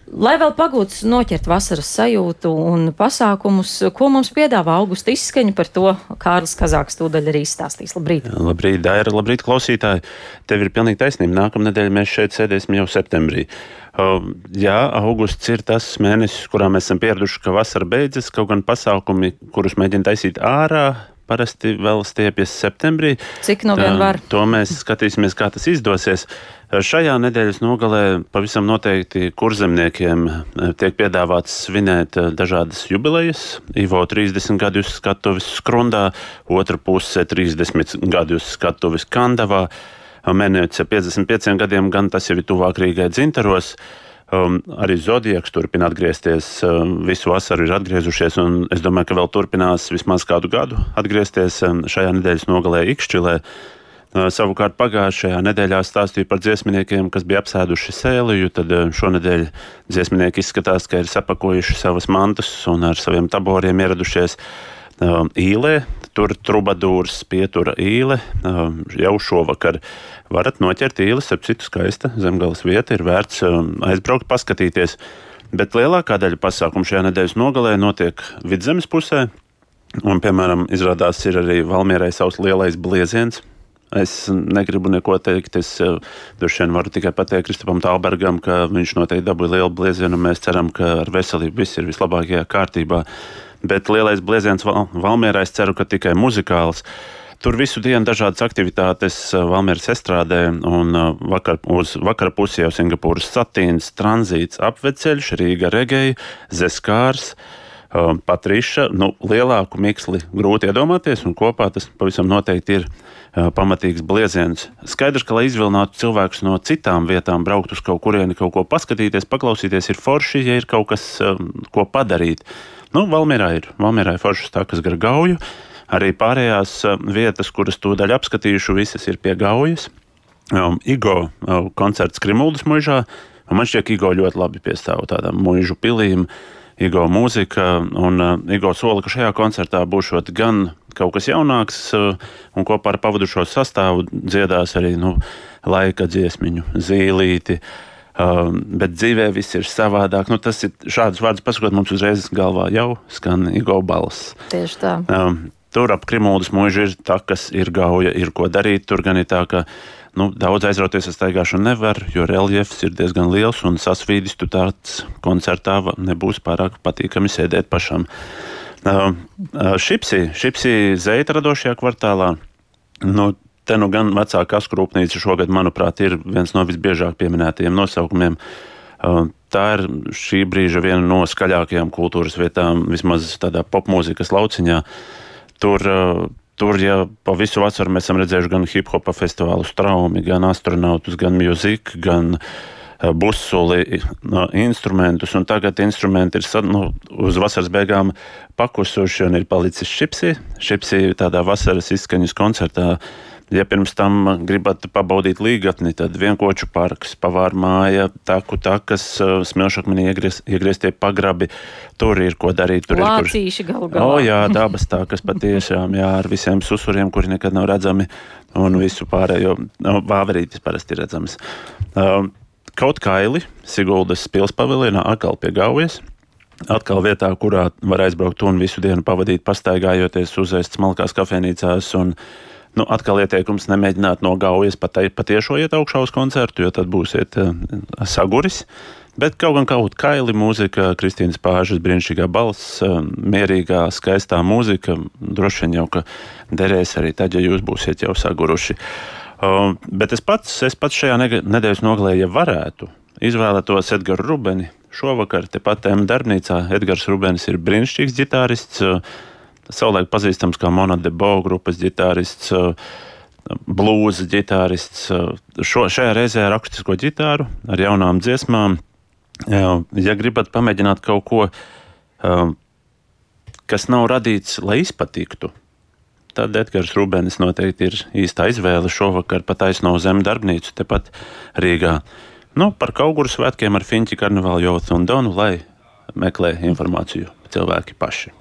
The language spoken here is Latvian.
Lai vēl pagūts noķert vasaras sajūtu un pasākumus, ko mums piedāvā augusta izskaņa, par to Kārlis Kazāks tūdaļ arī izstāstīs. Labrīt! Labrīt, Daira, labrīt, klausītāji! Tev ir pilnīgi taisnība. Nākamnedēļ mēs šeit sēdēsim jau septembrī. Jā, augusts ir tas mēnesis, kurā mēs esam pieraduši, ka vasara beidzas, kaut gan pasākumi, kurus mēģina taisīt ārā, parasti vēl stiepjas septembrī. Cik no vien var? To mēs skatīsimies, kā tas izdosies. Šajā nedēļas nogalē pavisam noteikti kurzemniekiem tiek piedāvāts svinēt dažādas jubilejas. Ivo 30 gadu uz skatuves Skrundā, otra puse 30 gadu uz skatuves Kandavā, Menēce 55 gadiem, gan tas jau ir tuvāk Rīgai Dzintaros. Arī Zodiaks turpina atgriezties, visu vasaru ir atgriezušies, un es domāju, ka vēl turpinās vismaz kādu gadu atgriezties šajā nedēļas nogalē Ikšķilē. Savukārt pagājušajā nedēļā stāstīju par dziesminiekiem, kas bija apsēduši Sēliju, tad šonedēļ dziesminieki izskatās, ka ir sapakojuši savas mantas un ar saviem taboriem ieradušies Īlē. Tur trubadūrs pietura Īle jau šovakar. Varat noķert Īles, ap citu skaista zemgales vieta, ir vērts aizbraukt, paskatīties. Bet lielākā daļa pasākumu šajā nedēļas nogalē notiek Vidzemes pusē. Un, piemēram, izrādās ir arī Valmierai savs lielais blieziens. Es negribu neko teikt, es droši vien varu tikai pateikt Kristapam Talbergam, ka viņš noteikti dabūja lielu bliezienu, un mēs ceram, ka ar veselību viss ir vislabākajā kārtībā. Bet lielais blieziens Valmierā, es ceru, ka tikai muzikāls. Tur visu dienu dažādas aktivitātes Valmieras estrādē, un uz vakara pusi jau Singapūras satīns, tranzīts, apveceļš, Rīga Regei, Zeskārs, Patriša. Lielāku miksli grūti iedomāties, un kopā tas pavisam noteikti ir pamatīgs blieziens. Skaidrs, ka, lai izvilinātu cilvēkus no citām vietām, braukt uz kaut kurieni, kaut ko paskatīties, paklausīties, ir forši, ja ir kaut kas, ko padarīt. Valmierā ir foršas takas gar Gauju. Arī pārējās vietas, kuras tūdaļ apskatījuši, visas ir pie Gaujas. Igo koncerts Krimuldas muižā. Man šķiet, Igo ļoti labi piestāv tādām muižu pilīm. Igo mūzika, un Igo sola, ka šajā koncertā būšot gan kaut kas jaunāks, un kopā ar pavadušo sastāvu dziedās arī laika dziesmiņu Zīlīti. Bet dzīvē viss ir savādāk. Tas ir šādus vārdus pasakot, mums uzreiz galvā jau skan Igo balss. Tieši tā. Tur ap Krimuldas muižu ir takas, ir Gauja, ir ko darīt. Tur gan ir tā, ka daudz aizrauties ar staigāšanu nevar, jo reljefs ir diezgan liels, un sasvīdis tu tāds koncertā nebūs pārāk patīkami sēdēt pašam. Šipsī Zeita radošajā kvartālā. Te gan vecā kasku rūpnīca šogad, manuprāt, ir viens no visbiežāk pieminētajiem nosaukumiem. Tā ir šī brīža viena no skaļākajām kultūras vietām, vismaz tādā popmūzikas lauciņā. Tur ja pa visu vasaru mēs esam redzējuši gan hip-hopa festivālu Straumi, gan astronautus, gan music, gan busuli, instrumentus, un tagad instrumenti ir uz vasaras beigām pakusuši un ir palicis Šipsī. Šipsī tādā vasaras izskaņas koncertā. Ja pirms tam gribat pabaudīt līgatni, tad Vienkoču parks, Pavāra māja, takas, Smilšakmenī iegrieztie pagrabi. Tur ir ko darīt. Lācīši galu galā. Jā, dabas takas patiešām, jā, ar visiem susuriem, kuri nekad nav redzami, un visu pārējo. Vāverītis parasti ir redzams. Kaut kaili Siguldas pilspaviljonā atkal pie Gaujas. Atkal vietā, kurā var aizbraukt un visu dienu pavadīt pastaigājoties, uzēst smalkās kafejnīcās, un atkal ieteikums nemēģināt no Gaujas patiešo iet augšā uz koncertu, jo tad būsiet saguris. Bet kaut kaili mūzika, Kristīnas Pāžas brīnišķīgā balss, mierīgā, skaistā mūzika, droši vien jau, ka derēs arī tad, ja jūs būsiet jau saguruši. Bet es pats šajā nedēļas nogalē, ja varētu, izvēlētos Edgaru Rubeni. Šovakar tepat darbnīcā Edgars Rubenis ir brīnišķīgs ģitārists, savulaik pazīstams kā Mona de Bo grupas ģitārists, blūza ģitārists. Šajā reizē ar akustisko ģitāru, ar jaunām dziesmām. Ja gribat pamēģināt kaut ko, kas nav radīts, lai izpatiktu, tad Edgars Rubenis noteikti ir īstā izvēle šovakar pa taisno zem darbnīcu tepat Rīgā. Par Kauguru svētkiem ar Fiņķi, Karnevālu, Jotu un Donu, lai meklē informāciju cilvēki paši.